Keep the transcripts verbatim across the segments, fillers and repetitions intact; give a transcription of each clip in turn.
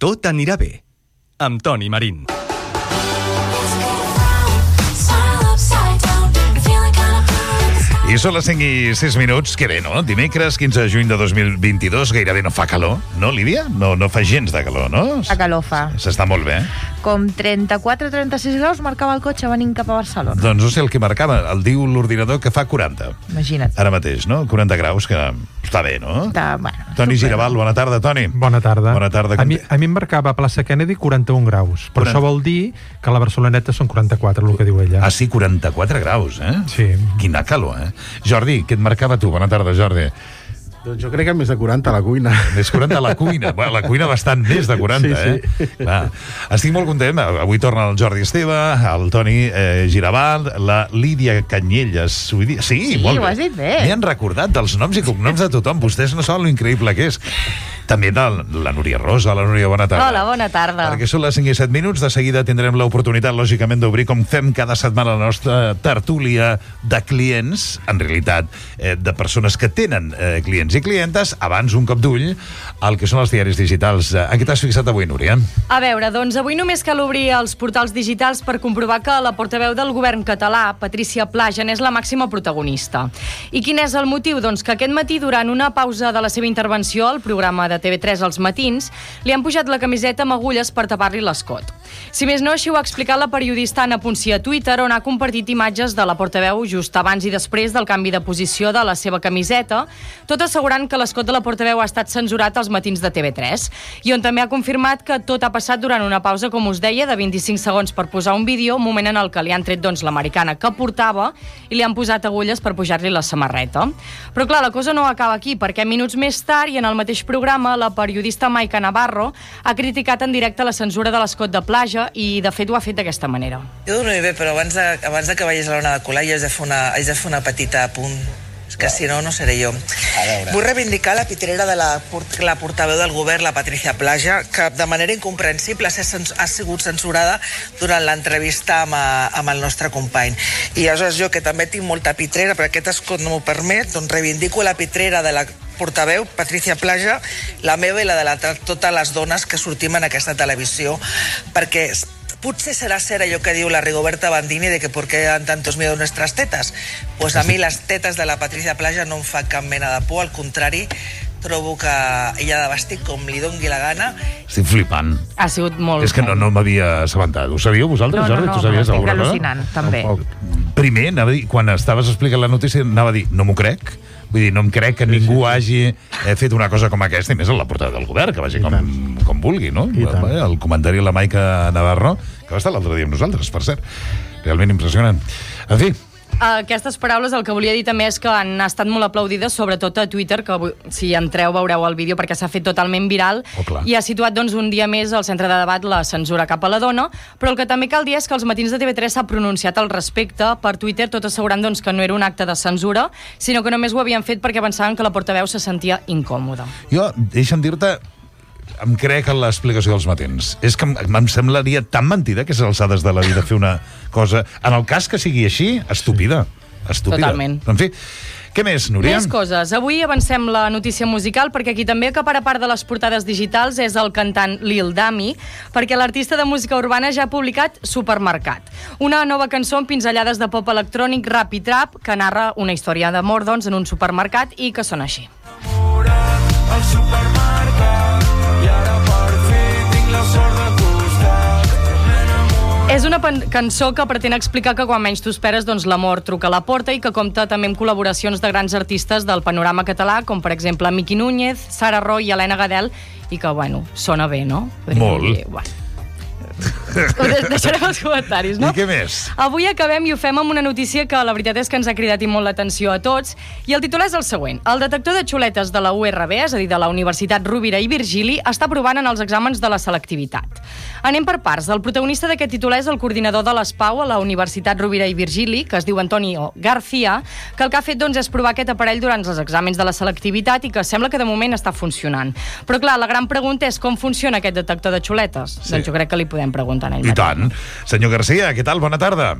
Tot anirà bé, amb Toni Marín. I són les cinc i sis minuts, que bé, no? Dimecres, quinze de juny de dos mil vint-i-dos, gairebé no fa calor, no, Lídia? No, no fa gens de calor, no? La calor fa. S'està molt bé. Com trenta-quatre trenta-sis graus marcava el cotxe venint cap a Barcelona. Doncs no sé el que marcava, el diu l'ordinador que fa quaranta. Imagina't. Ara mateix, no? quaranta graus, que està bé, no? Està, bueno, Toni super. Giraval, bona tarda, Toni. Bona tarda. Bona tarda. A mi, a mi em marcava a plaça Kennedy quaranta-un graus, però quaranta. això vol dir que a la Barceloneta són quaranta-quatre, el que diu ella. Ah, sí, quaranta-quatre graus, eh? Sí. Quina calor, eh? Jordi, què et marcava tu? Bona tarda, Jordi. Doncs jo crec que més de quaranta a la cuina. Més quaranta a la cuina. Bueno, la cuina bastant més de quaranta, sí, sí. eh? Clar. Estic molt content. Avui torna el Jordi Esteve, el Toni eh, Giraval, la Lídia Canyelles. Sí, Sí, molt ho bé. has dit bé. M'hi han recordat dels noms i cognoms de tothom. Vostès no saben lo increïble que és. També de la Núria Rosa. La Núria, bona tarda. Hola, bona tarda. Perquè són les cinc i set minuts. De seguida tindrem l'oportunitat, lògicament, d'obrir, com fem cada setmana, la nostra tertúlia de clients, en realitat, eh, de persones que tenen eh, clients i clientes. Abans, un cop d'ull al que són els diaris digitals. En què t'has fixat avui, Núria? A veure, doncs avui només cal obrir els portals digitals per comprovar que la portaveu del govern català, Patrícia Plaja, és la màxima protagonista. I quin és el motiu? Doncs que aquest matí, durant una pausa de la seva intervenció al programa de T V tres als matins, li han pujat la camiseta amb agulles per tapar-li l'escot. Si més no, així ho ha explicat la periodista Anna Puncí a Twitter, on ha compartit imatges de la portaveu just abans i després del canvi de posició de la seva camiseta, tot assegurant que l'escot de la portaveu ha estat censurat als matins de T V tres, i on també ha confirmat que tot ha passat durant una pausa, com us deia, de vint-i-cinc segons per posar un vídeo, un moment en el que li han tret doncs, l'americana que portava i li han posat agulles per pujar-li la samarreta. Però clar, la cosa no acaba aquí, perquè minuts més tard i en el mateix programa, la periodista Maica Navarro ha criticat en directe la censura de l'escot de Plaja i, de fet, ho ha fet d'aquesta manera. Jo dono bé, però abans de, abans de que vagis a l'ona de colar jo haig de fer una, haig de fer una petita apunt. És que si no, no seré jo. Vull reivindicar la pitrera de la, la portaveu del govern, la Patrícia Plaja, que de manera incomprensible ha sigut censurada durant l'entrevista amb, amb el nostre company. I aleshores jo, que també tinc molta pitrera, però aquest escot no m'ho permet, doncs reivindico la pitrera de la portaveu, Patrícia Plaja, la meva i la de la, totes les dones que sortim en aquesta televisió, perquè potser serà cert allò que diu la Rigoberta Bandini de que por qué dan tantos miedo nuestras tetas. Pues a mi les tetes de la Patrícia Plaja no em fa cap mena de por, al contrari, trobo que ella ha de vestir com li dongui la gana. Estic flipant. Ha sigut molt... És que no, no m'havia assabentat. Ho sabíeu vosaltres, No, no, Jordi? no, Tu sabies estic alguna cosa? al·lucinant, també. O- o- Primer, anava a dir, quan estaves explicant la notícia, anava a dir, no m'ho crec. Vull dir, no em crec que ningú hagi eh, fet una cosa com aquesta, i més en la portada del govern, que vagi com, com vulgui, no? I tant. El comentari de la Maica Navarro, que va estar l'altre dia amb nosaltres, per cert. Realment impressionant. En fi, Aquestes paraules el que volia dir també és que han estat molt aplaudides, sobretot a Twitter, que si entreu veureu el vídeo perquè s'ha fet totalment viral, Oh, clar. i ha situat doncs, un dia més al centre de debat la censura cap a la dona, però el que també cal dir és que els matins de T V tres s'ha pronunciat al respecte per Twitter, tot assegurant doncs, que no era un acte de censura, sinó que només ho havien fet perquè pensaven que la portaveu se sentia incòmoda. jo, deixa'm dir-te, em crec en l'explicació dels matins. És que em, em semblaria tan mentida que és alçades de la vida fer una cosa... En el cas que sigui així, estúpida. Estúpida. Totalment. En fi, què més, Núria? Més coses. Avui avancem la notícia musical perquè qui també acapara part de les portades digitals és el cantant Lil Dami, perquè l'artista de música urbana ja ha publicat Supermercat, una nova cançó amb pinzellades de pop electrònic, rap i trap, que narra una història d'amor doncs, en un supermercat i que sona així. Al supermercat i ara per fi tinc la sort de costat. És una cançó que pretén explicar que quan menys t'ho esperes, doncs l'amor truca a la porta, i que compta també amb col·laboracions de grans artistes del panorama català, com per exemple Miqui Núñez, Sara Roy i Helena Gadel, i que, bueno, sona bé, no? Podríem Molt. dir, bueno. Ho deixarem als comentaris, no? I què més? Avui acabem i ho fem amb una notícia que la veritat és que ens ha cridat i molt l'atenció a tots, i el titular és el següent. El detector de xuletes de la U R B, és a dir, de la Universitat Rovira i Virgili, està provant en els exàmens de la selectivitat. Anem per parts. El protagonista d'aquest titular és el coordinador de l'ESPAU a la Universitat Rovira i Virgili, que es diu Antonio García, que el que ha fet doncs, és provar aquest aparell durant els exàmens de la selectivitat i que sembla que de moment està funcionant. Però clar, la gran pregunta és com funciona aquest detector de xuletes. Sí. Doncs jo crec que li podem preguntar a ell I mateix. tant. Senyor García, què tal? Bona tarda.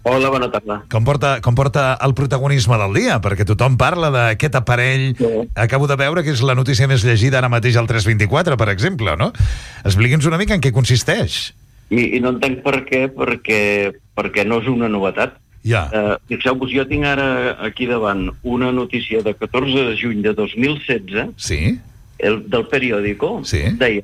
Hola, bona tarda. Com porta, com porta el protagonisme del dia? Perquè tothom parla d'aquest aparell. Sí. Acabo de veure que és la notícia més llegida ara mateix al tres vint-i-quatre, per exemple, no? Expliqui'ns una mica en què consisteix. I, i no entenc per què, perquè, perquè no és una novetat. Ja. Uh, Fixeu-vos, jo tinc ara aquí davant una notícia de catorze de juny de dos mil setze, Sí? el, del periòdico, Sí. deia: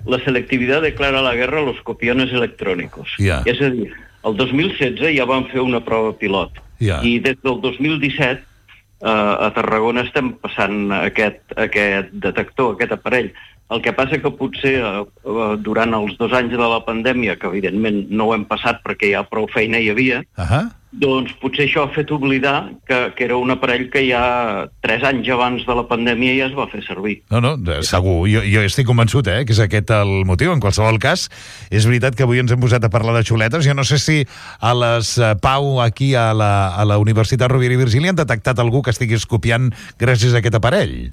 la selectividad declara la guerra a los copiones electrónicos. Ja. És a dir, el dos mil setze ja van fer una prova pilot. Ja. I des del dos mil disset eh, a Tarragona estem passant aquest, aquest detector, aquest aparell. El que passa que potser eh, durant els dos anys de la pandèmia, que evidentment no ho hem passat perquè ja prou feina hi havia, Ahà. doncs potser això ha fet oblidar que, que era un aparell que ja tres anys abans de la pandèmia ja es va fer servir. No, no, segur. Jo, jo estic convençut, eh, que és aquest el motiu. En qualsevol cas, és veritat que avui ens hem posat a parlar de xuletes. Jo no sé si a les eh, Pau, aquí a la, a la Universitat Rovira i Virgili, han detectat algú que estigui copiant gràcies a aquest aparell.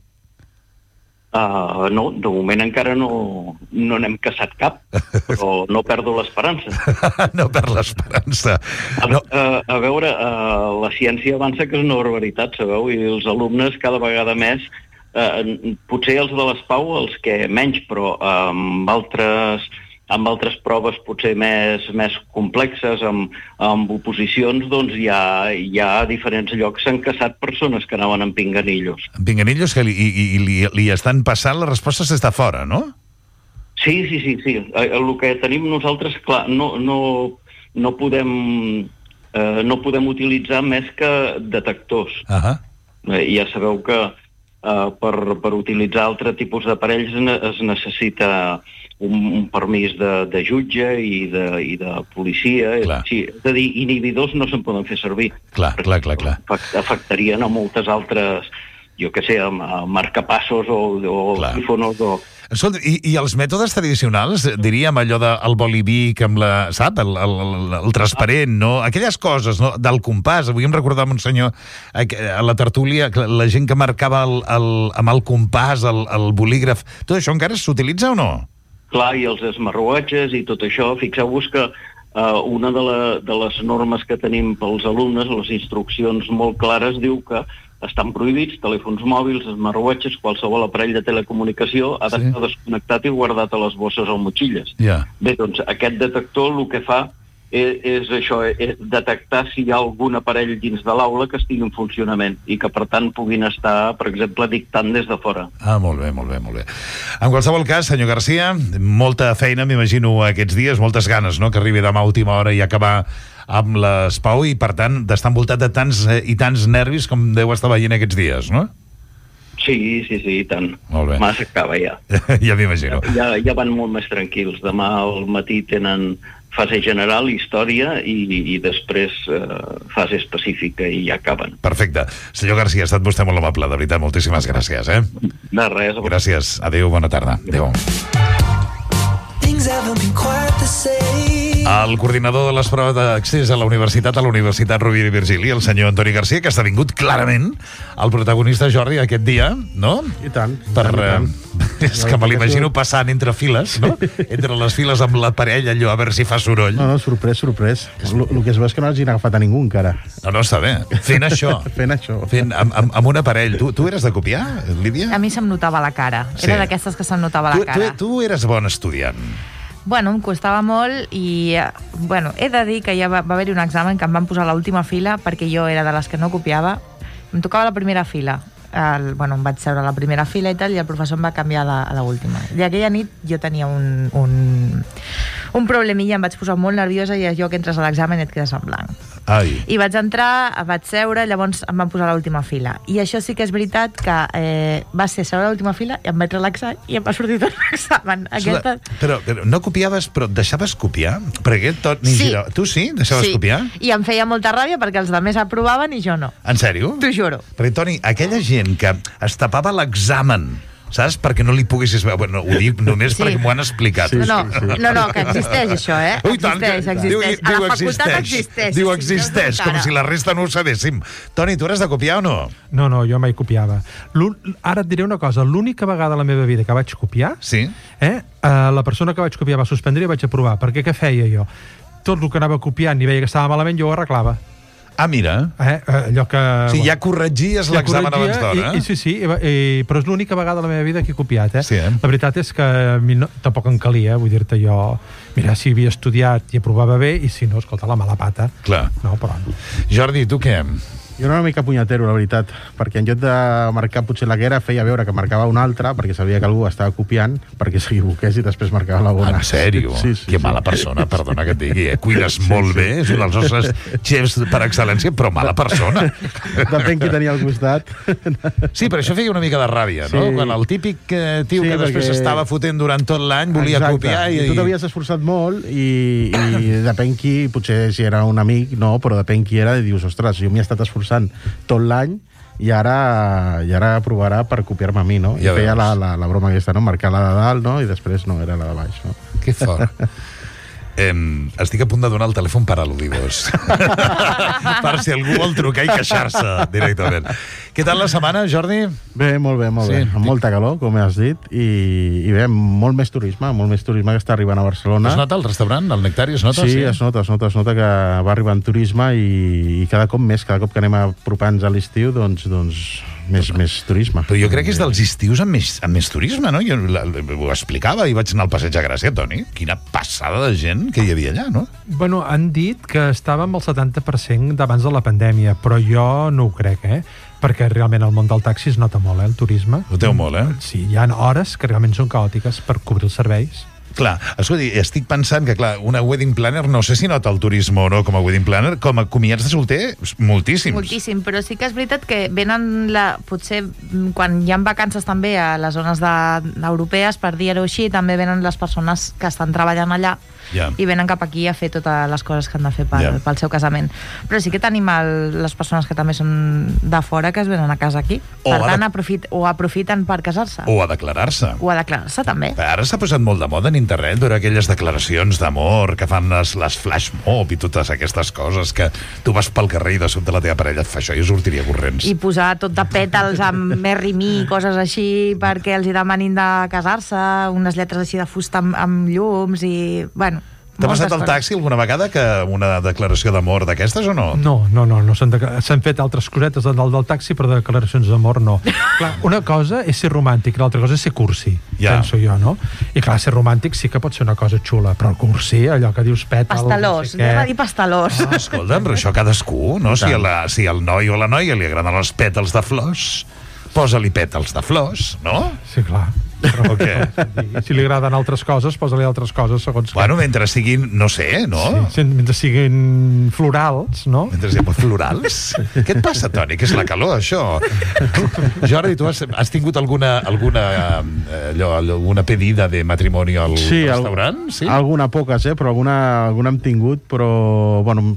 Uh, no, de moment encara no no n'hem caçat cap, però no perdo l'esperança. No perd l'esperança. A, No. a, a veure, uh, la ciència avança, que és una barbaritat, sabeu? I els alumnes cada vegada més, uh, potser els de les Pau, els que menys, però uh, amb altres amb altres proves potser més, més complexes, amb, amb oposicions, doncs hi ha, hi ha a diferents llocs s'han caçat persones que anaven amb pinganillos. En Pinganillos, que li, i, i li, li estan passant les respostes des de fora, no? Sí, sí, sí, sí. Eh, El que tenim nosaltres, clar, no, no, no podem eh, no podem utilitzar més que detectors. Ahà. Eh, ja sabeu que eh, per, per utilitzar altre tipus d'aparells ne- es necessita un, un permís de, de jutge i de, i de policia. Clar. Sí, és a dir, inhibidors no se'n poden fer servir. Clar, clar, clar, clar. Afac- Afectarien a moltes altres, jo què sé, a, a marcapassos o, o Clar. iPhones o... Escolta, i, i els mètodes tradicionals, diríem allò del bolivic amb la, sap, el, el, el, el transparent, no? Aquelles coses, no? Del compàs. Avui em recordava un senyor a la tertúlia, que la gent que marcava el, el, amb el compàs, el, el bolígraf, tot això encara s'utilitza o no? Clar, i els smartwatches i tot això, fixeu-vos que uh, una de, la, de les normes que tenim pels alumnes, les instruccions molt clares, diu que estan prohibits telèfons mòbils, smartwatches, qualsevol aparell de telecomunicació ha d'estar Sí. desconnectat i guardat a les bosses o motxilles. Ja. Bé, doncs aquest detector el que fa és, és això, és detectar si hi ha algun aparell dins de l'aula que estigui en funcionament i que, per tant, puguin estar, per exemple, dictant des de fora. Ah, molt bé, molt bé, molt bé. En qualsevol cas, senyor Garcia, molta feina, m'imagino, aquests dies, moltes ganes, no?, que arribi demà a última hora i acabar amb les Pau i, per tant, d'estar envoltat de tants eh, i tants nervis com deu estar veient aquests dies, no? Sí, sí, sí, i tant. Molt bé. Demà s'acaba ja. Ja m'imagino. Ja, ja van molt més tranquils. Demà al matí tenen fase general, història, i, i després eh, fase específica, i ja acaben. Perfecte. Senyor Garcia, ha estat vostè molt amable, de veritat, moltíssimes gràcies, eh? De res. Gràcies. Adéu, bona tarda. Adéu. El coordinador de les proves d'accés a la universitat, a la Universitat Rovira i Virgili, el senyor Antoni Garcia, que ha esdevingut clarament el protagonista, Jordi, aquest dia, no? I tant. Per, i tant, i tant. eh, és que me l'imagino passant entre files, no? Entre les files amb l'aparell, allò, a veure si fa soroll. No, no, sorprès, sorprès. El, el que es veu és que no hagin agafat a ningú encara. No, no, està bé. Fent això. Fent això. Fent, amb, amb, amb un aparell. Tu, tu eres de copiar, Lídia? A mi se'm notava la cara. Sí. Era d'aquestes que se'm notava la Tu, tu, cara. tu eres bon estudiant. Bueno, em costava molt i, eh, bueno, he de dir que ja va, va haver-hi un examen que em van posar a l'última fila perquè jo era de les que no copiava. Em tocava la primera fila. El, bueno, em vaig seure a la primera fila i tal, i el professor em va canviar a la, a l'última. I aquella nit jo tenia un, un, un problemilla, em vaig posar molt nerviosa i allò que entres a l'examen et quedes en blanc. Ai. I vaig entrar, vaig seure, llavors em van posar a l'última fila. I això sí que és veritat que eh, va ser seure a l'última fila i em vaig relaxar i em va sortir tot l'examen. Aquesta... Però, però no copiaves, però deixaves copiar? Perquè tot, ni Sí. gira... Tu sí? Deixaves sí. copiar? I em feia molta ràbia perquè els altres aprovaven i jo no. En sèrio? T'ho juro. Perquè, Toni, aquella gent que es tapava l'examen, saps? Perquè no li poguessis veure. Bueno, ho dic només Sí. perquè m'ho han explicat. No, no, no, no, que existeix això, eh? Ui, tant, que- Existeix, diu, existeix. diu A la facultat existeix. existeix. Diu sí, existeix, no com encara. si la resta no ho sabéssim. Toni, tu eres de copiar o no? No, no, jo mai copiava. L'un- Ara et diré una cosa, l'única vegada a la meva vida que vaig copiar, Sí. eh, eh, la persona que vaig copiar va suspendre i vaig aprovar, perquè què feia jo? tot el que anava copiant i veia que estava malament, jo ho arreglava. Ah, mira. Eh? Allò que... O sigui, ja corregies l'examen abans d'hora, eh? Sí, sí, i, i, però és l'única vegada a la meva vida que he copiat, eh? Sí, eh? La veritat és que a mi no, tampoc em calia, vull dir-te jo... Mira, si havia estudiat i aprovava bé, i si no, escolta, la mala pata. Clar. No, però... Jordi, tu què? Jo era una mica punyetero, la veritat, perquè en lloc de marcar potser la que era, feia veure que marcava una altra, perquè sabia que algú estava copiant, perquè s'equivoqués i després marcava la bona. En sèrio? Sí, sí, que sí. mala persona, perdona que et digui. Eh? Cuines sí, molt sí. bé, és un dels nostres xefs per excel·lència, però mala persona. Depèn qui tenia al costat. Sí, però això feia una mica de ràbia, no? Sí. Quan el típic eh, tio Sí, que després perquè- estava fotent durant tot l'any volia Exacte. copiar i... I tu t'havies esforçat molt i, i depèn qui, potser si era un amic, no, però depèn qui era, i dius, ostres, jo m'hi he estat esforçant tot l'any i ara, i ara provarà per copiar-me a mi, no? Ja I feia veus. la, la, la broma aquesta, no? Marcar la de dalt, no? I després no, era la de baix, no? Que fort. Eh, estic a punt de donar el telèfon per al·ludidos. Per si algú vol trucar i queixar-se directament. Què tal la setmana, Jordi? Bé, molt bé, molt Sí. bé. Amb molta calor, com has dit, i, i bé, molt més turisme, molt més turisme que està arribant a Barcelona. Es nota el restaurant, el Nectari, es nota? Sí, es nota, es nota, es nota que va arribant turisme i, i cada cop més, cada cop que anem apropant-nos a l'estiu, doncs, doncs més, més turisme. Però jo crec que és dels estius amb més, amb més turisme, no? Jo la, ho explicava i vaig anar al Passeig de Gràcia, Toni. Quina passada de gent que hi havia allà, no? Bueno, han dit que estàvem al setanta per cent d'abans de la pandèmia, però jo no ho crec, eh? Perquè realment el món del taxi es nota molt, eh, el turisme. Noteu molt, eh? Sí, hi ha hores que realment són caòtiques per cobrir els serveis. Clar, escolti, estic pensant que, clar, una wedding planner, no sé si nota el turisme o no com a wedding planner, com a comiats de solter, moltíssims. Moltíssim, però sí que és veritat que venen, la, potser mm, quan hi ha vacances també a les zones de, europees, per dir-ho així, també venen les persones que estan treballant allà Ja. i venen cap aquí a fer totes les coses que han de fer pel, Ja. pel seu casament. Però sí que tenim el, les persones que també són de fora que es venen a casa aquí. O Per a tant, de- aprofit, o aprofiten per casar-se. O a declarar-se. O a declarar-se també. Ara s'ha posat molt de moda en internet veure aquelles declaracions d'amor que fan les, les flash mob i totes aquestes coses que tu vas pel carrer i de sobte la teva parella et fa això i sortiria corrents. I posar tot de pètals amb Merry Me, coses així, perquè els hi demanin de casar-se, unes lletres així de fusta amb, amb llums i... Bueno, T'ha passat moltes al coses. taxi alguna vegada que una declaració d'amor d'aquestes o no? No, no, no, no s'han de- s'han fet altres cosetes del, del taxi, però declaracions d'amor no. Clar, una cosa és ser romàntic, l'altra cosa és ser cursi, Ja. penso jo, no? I clar, ser romàntic sí que pot ser una cosa xula, però el cursi, allò que dius pètals... Pastelós, no sé anem a què. dir pastelós. Ah, escolta'm, però això cadascú, no? Si, a la, si al noi o a la noia li agraden els pètals de flors, posa-li pètals de flors, no? Sí, clar. O què? Si li agraden altres coses, posa-li altres coses segons Bueno, mentre siguin, no sé, no? què. Sí, mentre siguin florals, no? Mentre siguin florals? Què et passa, Toni? Que és la calor, això? Jordi, tu has, has tingut alguna, alguna, eh, allò, alguna pedida de matrimoni al Sí, al- restaurant? Sí? Alguna poques, eh? Però alguna, alguna hem tingut, però, bueno,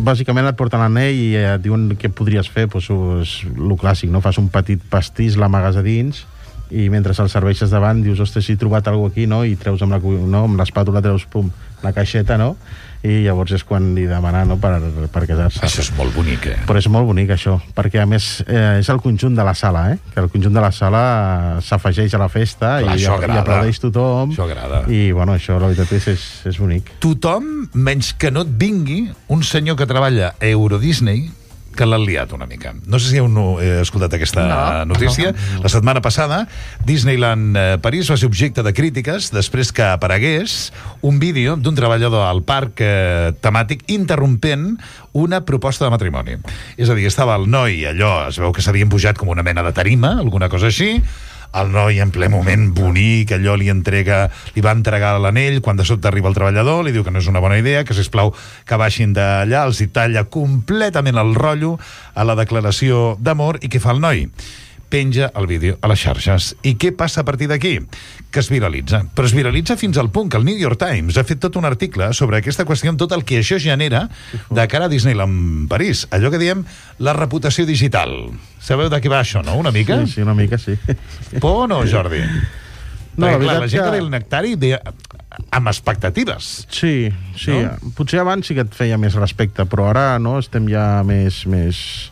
bàsicament et porten l'anell i et diuen què podries fer, doncs és el clàssic, no? Fas un petit pastís, l'amagues a dins, i mentre el serveixes davant dius, ostres, he trobat alguna cosa aquí, no? I treus amb la, cu- no? amb l'espàtula treus, pum, la caixeta, no? I llavors és quan li demana, no?, per, per casar-se. Això és molt bonic, eh? Però és molt bonic, això, perquè, a més, eh, és el conjunt de la sala, eh? Que el conjunt de la sala s'afegeix a la festa. Clar, i, això i agrada. aplaudeix tothom. Això agrada. I, bueno, això, la veritat és, és, és bonic. Tothom, menys que no et vingui un senyor que treballa a Euro Disney que l'han liat una mica. No sé si heu no, eh, escoltat aquesta No. notícia. La setmana passada, Disneyland eh, París va ser objecte de crítiques després que aparegués un vídeo d'un treballador al parc eh, temàtic interrompent una proposta de matrimoni. És a dir, estava el noi, allò, es veu que s'havien pujat com una mena de tarima, alguna cosa així, el noi en ple moment bonic, allò li entrega, li va entregar l'anell, quan de sobte arriba el treballador, li diu que no és una bona idea, que sisplau que baixin d'allà, els hi talla completament el rotllo a la declaració d'amor, i què fa el noi? Penja el vídeo a les xarxes. I què passa a partir d'aquí? Que es viralitza. Però es viralitza fins al punt que el New York Times ha fet tot un article sobre aquesta qüestió, amb tot el que això genera de cara a Disneyland París. Allò que diem la reputació digital. Sabeu de què va això, no? Una mica? Sí, sí, una mica, sí. Por o no, Jordi? No, Perquè, la clar, veritat la gent que que- ve al Nectari ve amb expectatives. Sí, sí. No? Potser abans sí que et feia més respecte, però ara no, estem ja més, més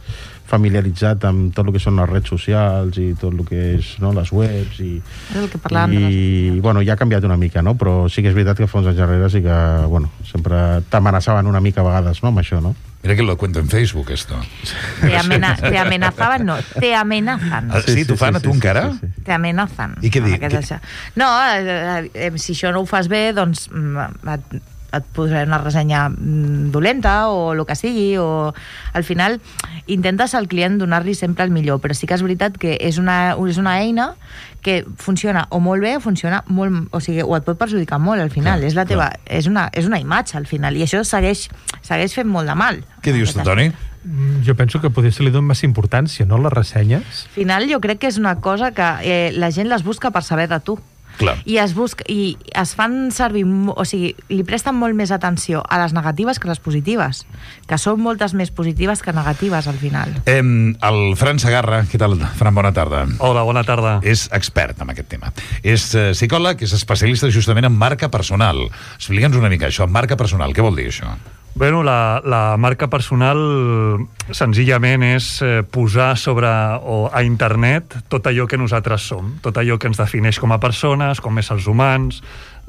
familiaritzat amb tot el que són les redes socials i tot el que és, no, les webs i, el que parlàvem i de les... bueno, ja ha canviat una mica, no? Però sí que és veritat que fa uns anys darrere sí que, bueno, sempre t'amenaçaven una mica a vegades, no?, amb això, no? Mira que lo cuento en Facebook, esto. Te, amena te amenazaban, no, te amenazan. Ah, sí, sí, t'ho fan a tu encara? Sí, sí. Te amenazan. I què dic? Que... No, eh, eh, si això no ho fas bé, doncs et, et posaré una ressenya dolenta o el que sigui, o al final intentes al client donar-li sempre el millor, però sí que és veritat que és una, és una eina que funciona o molt bé o funciona molt, o sigui, o et pot perjudicar molt al final, clar, és la teva, és una, és una imatge al final, i això segueix, segueix fent molt de mal. Què dius tu, Toni? Jo penso que potser se li dona més importància, no?, les ressenyes. Al final jo crec que és una cosa que eh, la gent les busca per saber de tu. Clar. I es busca, i es fan servir, o sigui, li presten molt més atenció a les negatives que a les positives, que són moltes més positives que negatives al final. Eh, el Fran Segarra, què tal, Fran, bona tarda. Hola, bona tarda. És expert en aquest tema. És eh, psicòleg, és especialista justament en marca personal. Explica'ns una mica això, marca personal, què vol dir això? Bueno, la, la marca personal senzillament és eh, posar sobre o a internet tot allò que nosaltres som, tot allò que ens defineix com a persones, com éssers humans,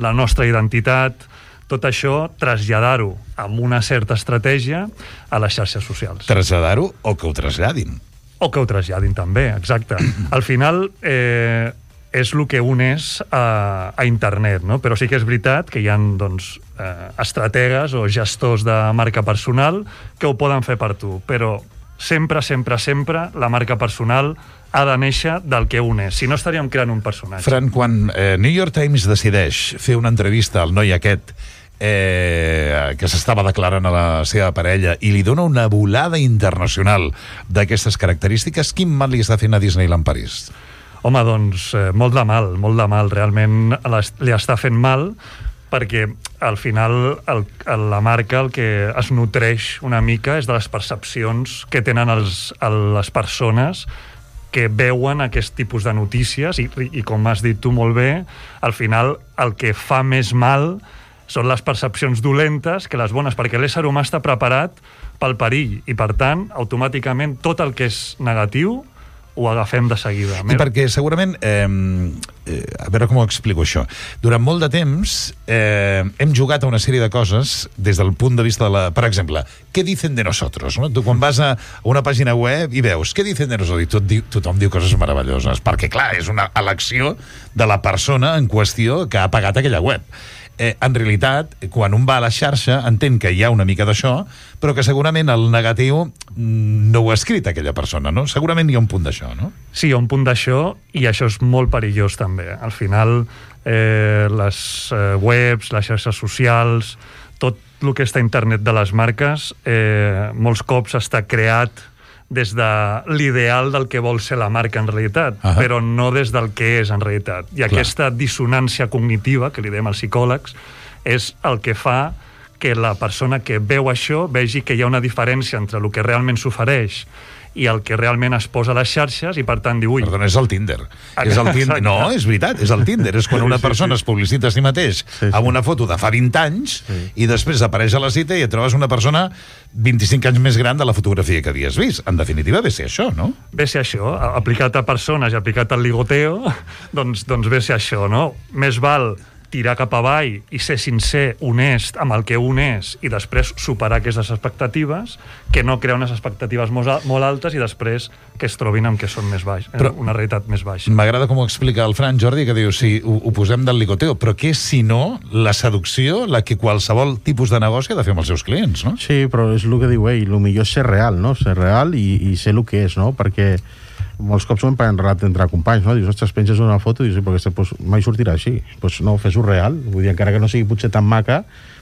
la nostra identitat, tot això traslladar-ho amb una certa estratègia a les xarxes socials. Traslladar-ho o que ho traslladin. O que ho traslladin també, exacte. Al final eh, és el que uneix a, a internet, no? Però sí que és veritat que hi ha, doncs, eh, estrategues o gestors de marca personal que ho poden fer per tu, però sempre, sempre, sempre la marca personal ha de néixer del que uneix. Si no, estaríem creant un personatge. Fran, quan eh, New York Times decideix fer una entrevista al noi aquest eh, que s'estava declarant a la seva parella i li dona una volada internacional d'aquestes característiques, quin mal li està fent a Disneyland París? Home, doncs, eh, molt de mal, molt de mal. Realment li està fent mal perquè al final el, el, la marca el que es nutreix una mica és de les percepcions que tenen els, les persones que veuen aquest tipus de notícies i, i com has dit tu molt bé, al final el que fa més mal són les percepcions dolentes que les bones, perquè l'ésser humà està preparat pel perill i, per tant, automàticament tot el que és negatiu ho agafem de seguida. I perquè segurament, eh, eh, a veure com ho explico això, durant molt de temps eh, hem jugat a una sèrie de coses des del punt de vista de la... Per exemple, què dicen de nosotros? No? Tu quan vas a una pàgina web i veus què dicen de nosotros, i tot diu, tothom diu coses meravelloses, perquè clar, és una elecció de la persona en qüestió que ha pagat aquella web. Eh, en realitat, quan un va a la xarxa entén que hi ha una mica d'això, però que segurament el negatiu no ho ha escrit aquella persona, no? Segurament hi ha un punt d'això, no? Sí, hi ha un punt d'això, i això és molt perillós també. Al final, eh, les eh, webs, les xarxes socials, tot el que està a internet de les marques, eh, molts cops està creat des de l'ideal del que vol ser la marca en realitat, uh-huh. però no des del que és en realitat. I Clar. Aquesta dissonància cognitiva, que li diem als psicòlegs, és el que fa que la persona que veu això vegi que hi ha una diferència entre el que realment s'ofereix i el que realment es posa a les xarxes i per tant diu... Ui. Perdona, és el Tinder. És el Tinder. No, és veritat, és el Tinder. És quan una persona sí, sí. es publicita a si mateix sí, sí. amb una foto de fa vint anys sí. i després apareix a la cita i et trobes una persona vint-i-cinc anys més gran de la fotografia que havies vist. En definitiva, ve ser això, no? Ve ser això. Aplicat a persones i aplicat al ligoteo, doncs, doncs ve ser això, no? Més val tirar cap avall i ser sincer, honest amb el que un és i després superar aquestes expectatives, que no crear unes expectatives molt, molt altes i després que es trobin amb que són més baix, però una realitat més baixa. M'agrada com ho explica el Fran, Jordi, que diu, sí, ho, ho posem del ligoteo, però què és, si no, la seducció, la que qualsevol tipus de negoci ha de fer amb els seus clients, no? Sí, però és el que diu ell, el millor és ser real, no? Ser real i, i ser el que és, no? Perquè molts cops ho hem parlat entre companys, no? Dius, ostres, penses una foto i dius, sí, però aquesta pues, mai sortirà així. Doncs pues no, fes-ho real. Vull dir, encara que no sigui potser tan maca,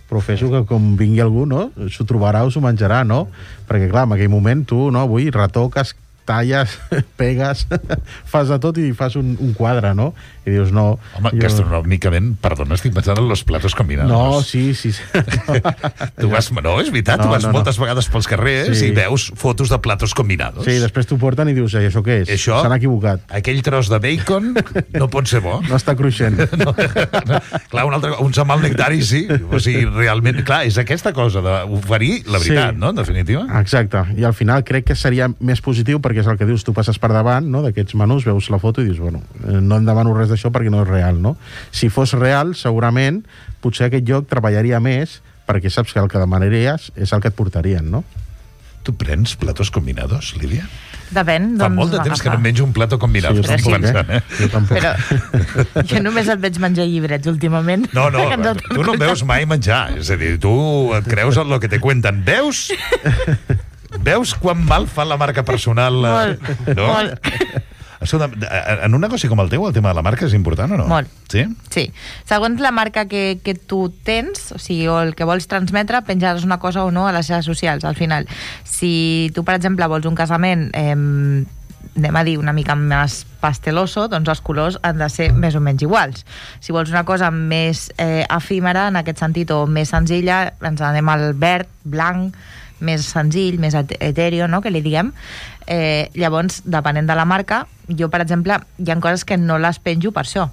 però fes-ho que com vingui algú, no? S'ho trobarà o s'ho menjarà, no? Perquè, clar, en aquell moment tu, no? Avui retoques talles, pegues, fas de tot i fas un, un quadre, no? I dius, no... Home, jo... gastronòmicament, perdona, estic pensant en los platos combinados. No, sí, sí. sí. tu vas, no, és veritat, no, tu vas no, moltes no. vegades pels carrers sí. i veus fotos de platos combinados. Sí, després t'ho porten i dius, eh, això què és? Això, s'han equivocat. Aquell tros de bacon no pot ser bo. No està cruixent. no, no. Clar, un, altre, un semal nectari sí. O sigui, realment, clar, és aquesta cosa d'oferir la veritat, sí. no? En definitiva. Exacte. I al final crec que seria més positiu perquè és el que dius, tu passes per davant, no?, d'aquests menús, veus la foto i dius, bueno, no em demano res d'això perquè no és real, no? Si fos real, segurament, potser aquest lloc treballaria més perquè saps que el que demanaries és el que et portarien, no? Tu prens platos combinados, Lídia? Depèn. Fa molt de temps que no menjo un plato combinat. Sí, estic sí, pensant, eh? Jo tampoc. Però jo només et veig menjar llibrets últimament. No, no, tu no em veus mai menjar. És a dir, tu et creus en el que te cuenten. Veus? Veus quan mal fa la marca personal? Molt, no? molt. En un negoci com el teu, el tema de la marca és important o no? Molt. Sí? Sí. Segons la marca que, que tu tens, o sigui, o el que vols transmetre, penjaràs una cosa o no a les xarxes socials, al final. Si tu, per exemple, vols un casament, eh, anem a dir, una mica més pasteloso, doncs els colors han de ser més o menys iguals. Si vols una cosa més eh, efímera, en aquest sentit, o més senzilla, ens anem al verd, blanc, més senzill, més etèreo, no?, que li diguem. Eh, llavors, depenent de la marca, jo, per exemple, hi ha coses que no les penjo per això,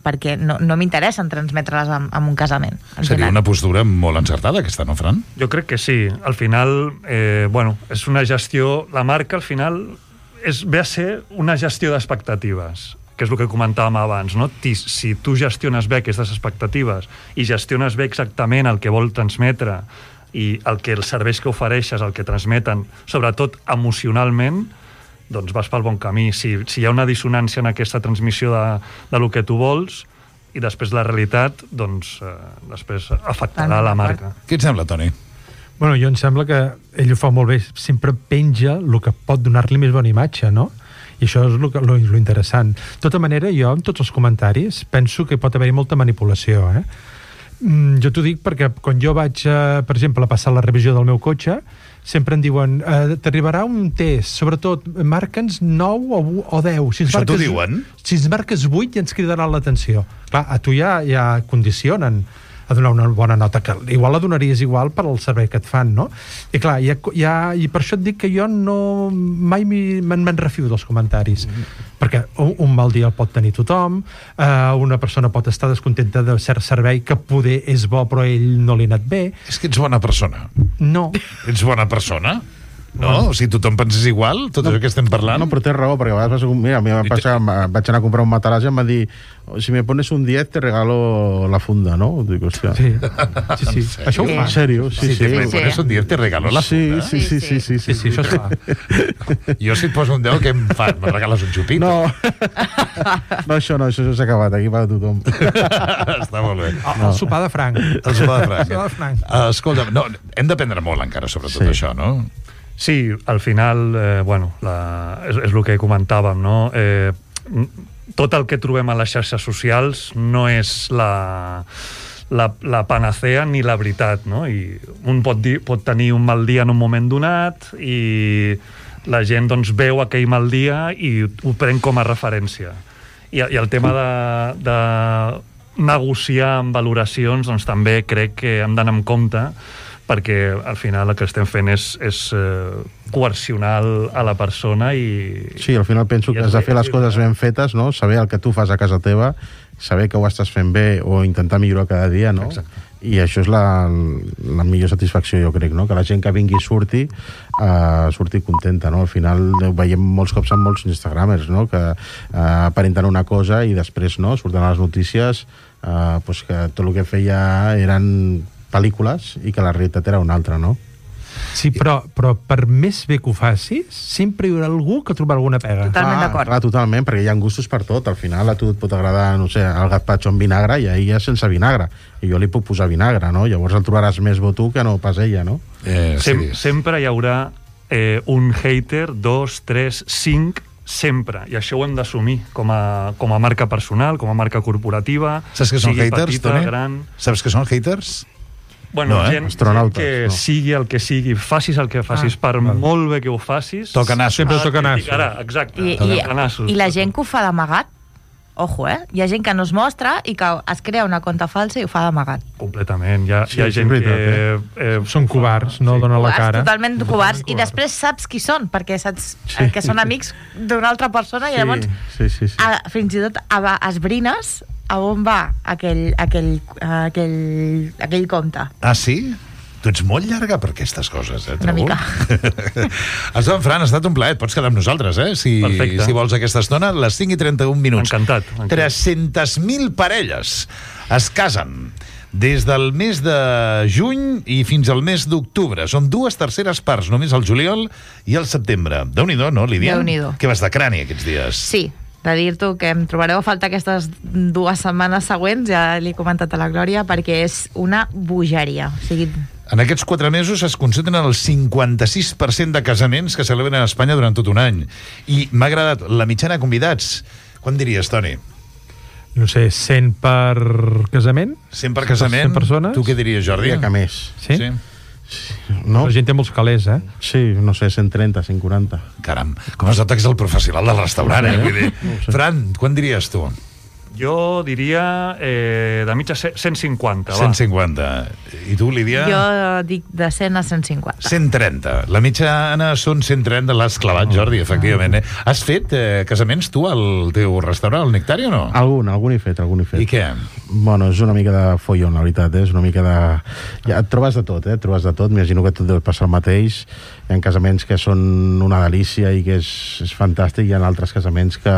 perquè no, no m'interessa transmetre-les en, en un casament. Seria una postura molt encertada, aquesta, no, Fran? Jo crec que sí. Al final, eh, bueno, és una gestió... La marca, al final, és, ve a ser una gestió d'expectatives, que és el que comentàvem abans, no? Si tu gestiones bé aquestes expectatives i gestiones bé exactament el que vol transmetre i el que els serveis que ofereixes, el que transmeten, sobretot emocionalment, doncs vas pel bon camí. Si, si hi ha una dissonància en aquesta transmissió de, de lo que tu vols i després la realitat, doncs eh, després afectarà la marca. Què et sembla, Toni? Bueno, jo em sembla que ell ho fa molt bé, sempre penja el que pot donar-li més bona imatge, no? I això és lo, lo, lo interessant. De tota manera, jo, en tots els comentaris, penso que pot haver-hi molta manipulació, eh? Mm, jo t'ho dic perquè quan jo vaig, eh, per exemple, a passar la revisió del meu cotxe, sempre em diuen, eh, t'arribarà un test, sobretot, marca'ns nou o, o deu. Si Això t'ho diuen? Si ens marques vuit ja ens cridarà l'atenció. Clar, a tu ja, ja condicionen a donar una bona nota, que igual la donaries igual per al servei que et fan, no? I clar, ja, ja, i per això et dic que jo no mai me'n me refio dels comentaris, mm. perquè un, un mal dia el pot tenir tothom, eh, una persona pot estar descontenta de cert servei que poder és bo però a ell no li ha anat bé. És que ets bona persona. No. Ets bona persona? No? O sigui, tothom pensés igual, tot no, això que estem parlant? No, però tens raó, perquè a vegades mira, a mi va passar, vaig anar a comprar un matalàs i em va dir, si me pones un diez te regalo la funda, no? Dic, hòstia. Sí, sí, sí. Això ho fa. En sèrio? Sí, si sí. Si me pones un diez te regalo la funda? Sí, sí, sí, sí, sí, sí, sí, això es fa. Jo si et poso un deu, què em fas? Me regales un xupito? No, no això no, això s'ha acabat, aquí va tothom. Està molt bé. El, el sopar de franc. El sopar de franc. El sopar de franc. Uh, escolta, no, hem d'aprendre molt encara sobre tot sí. això, no? Sí, al final, eh, bueno, la, és, és el que comentàvem, no? Eh, tot el que trobem a les xarxes socials no és la, la, la panacea ni la veritat, no? I un pot, dir, pot tenir un mal dia en un moment donat i la gent doncs, veu aquell mal dia i ho pren com a referència. I, i el tema de, de negociar amb valoracions, doncs també crec que hem d'anar amb compte, perquè al final el que estem fent és, és eh, coercionar a la persona i... Sí, al final penso que has de fer les coses ben fetes, no? Saber el que tu fas a casa teva, saber que ho estàs fent bé o intentar millorar cada dia, no? Exacte. I això és la, la millor satisfacció, jo crec, no? Que la gent que vingui surti, uh, surti contenta, no? Al final ho veiem molts cops amb molts instagramers, no? Que uh, aparenten una cosa i després, no? Surten a les notícies uh, pues que tot el que feia eren pel·lícules i que la realitat era una altra, no? Sí, però, però per més bé que ho facis, sempre hi haurà algú que trobarà alguna pega. Totalment d'acord. Clar, totalment, perquè hi ha gustos per tot. Al final a tu et pot agradar, no sé, el gazpacho amb vinagre i a ella sense vinagre. I jo li puc posar vinagre, no? Llavors el trobaràs més bo tu que no pas ella, no? Eh, Sem sí. Sempre hi haurà eh, un hater, dos, tres, cinc, sempre. I això ho hem d'assumir com, a, com a marca personal, com a marca corporativa. Saps que són haters, petita, Toni? gran... Saps que són haters? Bueno, No, eh? gent, gent Astronautes, que no. sigui el que sigui, facis el que facis, Ah, per molt bé que ho facis... Toca nassos. Sempre toca nassos. criticarà, exacte. I, i, toca nassos. I la gent que ho fa d'amagat, ojo, eh? Hi ha gent que no es mostra i que es crea una compte falsa i ho fa d'amagat. Completament. Hi ha, Sí, hi ha és gent veritat, que... Eh, Són covards, no Sí. donen la Covards, cara. totalment covards, i covards. després saps qui són, perquè saps Sí. eh, que són amics d'una altra persona i llavors Sí, sí, sí. a, fins i tot a, a, esbrines a on va aquell, aquell, aquell, aquell compte. Ah, sí? Tu ets molt llarga per aquestes coses, eh? Una trobo. mica. Estem, Fran, ha estat un plaer. Pots quedar amb nosaltres, eh? Si, Perfecte. si vols aquesta estona, les cinc i trenta-un minuts. Encantat, encantat. tres-centes mil parelles es casen des del mes de juny i fins al mes d'octubre. Són dues terceres parts, només el juliol i el setembre. Déu-n'hi-do, no, Lídia? Déu-n'hi-do. Que vas de crani aquests dies. Sí, de dir-t'ho que em trobareu a faltar aquestes dues setmanes següents, ja li he comentat a la Glòria, perquè és una bogeria. O sigui, En aquests quatre mesos es concentren el cinquanta-sis per cent de casaments que celebren a Espanya durant tot un any. I m'ha agradat la mitjana de convidats. Quan diries, Toni? No sé, cent per casament? cent per casament? cent persones? Tu què diries, Jordi? Diria que més. Sí? Sí. No? La gent té molts calés, eh? Sí, no sé, cent trenta, cent quaranta. Caram, com es nota que és el professional del restaurant, eh? Vull dir, Fran, quan diries tu? Jo diria eh, de mitja ce- cent cinquanta, va. cent cinquanta. I tu, Lídia? jo dic de cent a cent cinquanta. cent trenta. La mitjana són cent trenta, l'has clavat, Jordi, efectivament. Eh? Has fet eh, casaments tu al teu restaurant, al Nectari, o no? Algun, algun he fet, algun he fet. I què? Bueno, és una mica de follon, la veritat, eh? És una mica de... Ja, et trobes de tot, eh? Et trobes de tot. M'imagino que tot deu passar el mateix. Hi ha casaments que són una delícia i que és, és fantàstic. Hi ha altres casaments que,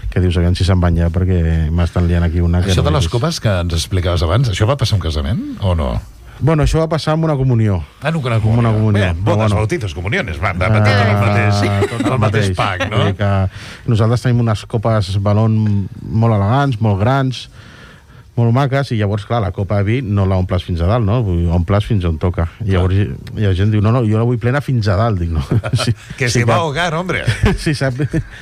que dius, aviam si se'n van ja, perquè m'estan liant aquí una... Que Això no de he les vist. copes que ens explicaves abans, això va passar un casament o no? Bueno, això va passar amb una comunió. Ah, no, una Com una comunió. Bé, Però bodes, bueno. bautitos, comuniones, va, va, Ah, tot el mateix, tot el mateix pack, no? Vull dir que nosaltres tenim unes copes balon molt elegants, molt grans, molt maques, i llavors, clar, la copa de vi no la omples fins a dalt, no? Vull dir, omples fins on toca. I llavors hi, hi ha gent que diu, no, no, jo la vull plena fins a dalt, dic, no? Sí, Que sí se va a cap- ahogar, hombre. Sí, sap,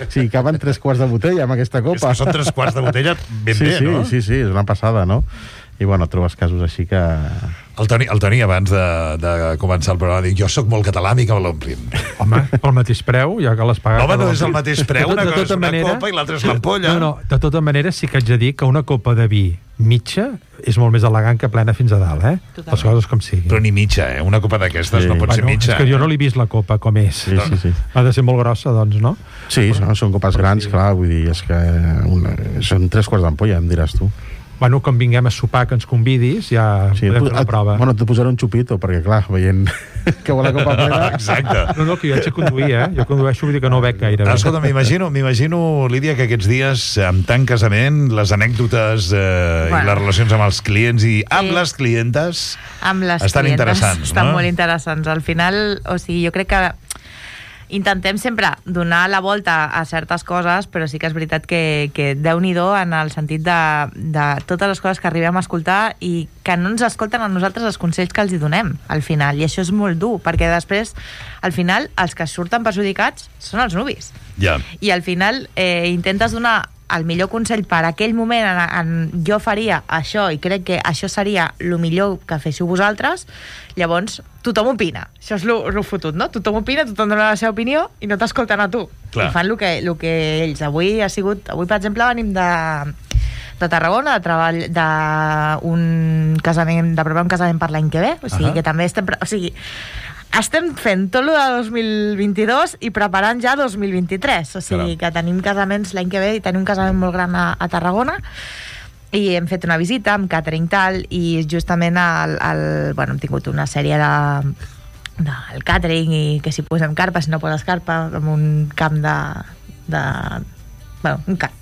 sí, caben tres quarts de botella amb aquesta És copa. que són tres quarts de botella ben sí, bé, sí, no? Sí, sí, és una passada, no? I, bueno, trobes casos així que... El Toni, el Toni abans de, de començar el programa, diu, jo sóc molt català, mi que me l'omplin. Home, pel mateix preu, ja que l'has pagat... Home, no per és el l'omplir. mateix preu, De una tot- de cosa és tota una manera- copa i l'altra és l'ampolla. No, no, de tota manera sí que haig de dir que una copa de vi mitja és molt més elegant que plena fins a dalt, eh? Totalment. Les coses com sigui. Però ni mitja, eh? Una copa d'aquestes Sí. no pot ser Bueno, mitja. és que jo no l'he vist la copa com és. Sí, sí, sí. Ha de ser molt grossa, doncs, no? Sí, són, són copes grans, clar, vull dir, és que una, són tres quarts d'ampolla, em diràs tu. Bueno, quan vinguem a sopar que ens convidis, ja Sí, podem fer una et- prova. Bueno, te posaré un xupito, perquè, clar, veient que vol la copa plena... Exacte. No, no, que jo haig de conduir, eh? Jo condueixo, vull dir que no bec gaire. Ah, escolta, m'imagino, m'imagino, Lídia, que aquests dies, amb tant casament, les anècdotes eh, i Bueno. les relacions amb els clients i amb Sí. les clientes Amb les estan clientes interessants, estan no? molt interessants. Al final, o sigui, jo crec que intentem sempre donar la volta a certes coses, però sí que és veritat que, que Déu-n'hi-do en el sentit de, de totes les coses que arribem a escoltar i que no ens escolten a nosaltres els consells que els hi donem al final, i això és molt dur, perquè després, al final, els que surten perjudicats són els nuvis. Ja. I al final eh, intentes donar el millor consell per aquell moment en, en jo faria això i crec que això seria el millor que féssiu vosaltres, llavors tothom opina, això és lo, lo fotut, no? Tothom opina, tothom dona la seva opinió i no t'escolten a tu. Clar. I fan el que, el que ells. Avui ha sigut, avui per exemple venim de de Tarragona, de treball d'un casament, de preparar un casament per l'any que ve, o sigui Ahà. que també estem, pre- o sigui, estem fent tot el de dos mil vint-i-dos i preparant ja dos mil vint-i-tres, o sigui Caram. que tenim casaments l'any que ve i tenim un casament molt gran a, a Tarragona i hem fet una visita amb catering tal i justament el, el, bueno, hem tingut una sèrie de del catering i que si posem carpa, si no poses carpa, amb un camp de, de bueno, un camp.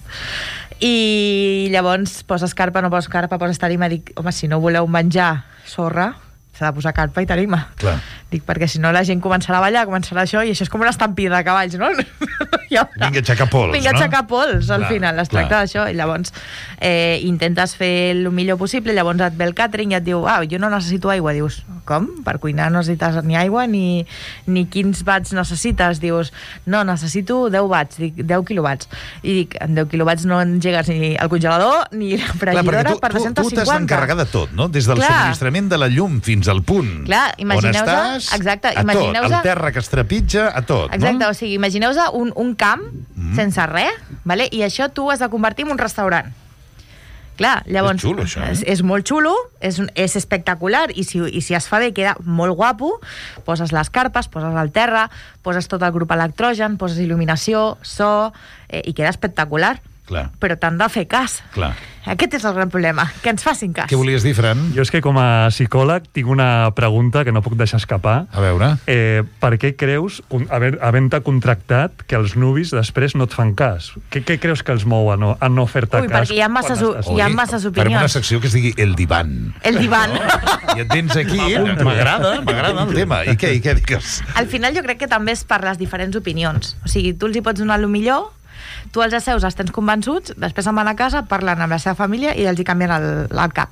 I llavors poses carpa, no poses carpa, poses tarima, dic, home, si no voleu menjar sorra, s'ha de posar carpa i tarima. Clar. Dic, perquè si no la gent començarà a ballar, començarà això, i això és com una estampida de cavalls, no? Vinga, aixecar pols, Vinga, no? aixecar pols, al Clar, final. Es tracta clar. d'això. I llavors eh, intentes fer el millor possible, llavors et ve el càtering i et diu, ah, jo no necessito aigua. Dius, com? Per cuinar no necessites ni aigua ni, ni quins watts necessites. Dius, no, necessito deu watts, dic, deu quilowatts. I dic, en deu quilowatts no engegues ni el congelador ni la fregidora Clar, per tu, dos-cents tu, tu t'has cinquanta. d'encarregar de tot, no? Des del Clar. subministrament de la llum fins al punt Clar, on imagineu-vos- estàs, exacte, a tot, imagineu-vos- el terra que es trepitja, a tot, Exacte, no? o sigui, imagineu-vos un, un camp mm. sense res, vale? I això tu has de convertir en un restaurant. Clar, llavors... És xulo, això, eh? És, és molt xulo, és, un- és espectacular, i si, i si es fa bé queda molt guapo, poses les carpes, poses el terra, poses tot el grup electrogen, poses il·luminació, so, eh, i queda espectacular. Clar. Però t'han de fer cas. Clar. Aquest és el gran problema, que ens facin cas. Què volies dir, Fran? Jo és que com a psicòleg tinc una pregunta que no puc deixar escapar. A veure. Eh, per què creus, con- haver- havent-te contractat, que els nuvis després no et fan cas? Què, què creus que els mou a no, a no fer-te Ui, cas? perquè hi ha masses, quan estàs- hi ha masses Farem una opinions. secció que es digui El Divan. El divan. I et vens aquí, m'agrada, m'agrada el tema. I què, i què digues? Al final jo crec que també és per les diferents opinions. O sigui, tu els hi pots donar el millor, tu els asseus, els tens convençuts, després se'n van a casa, parlen amb la seva família i els hi canvien el, el cap.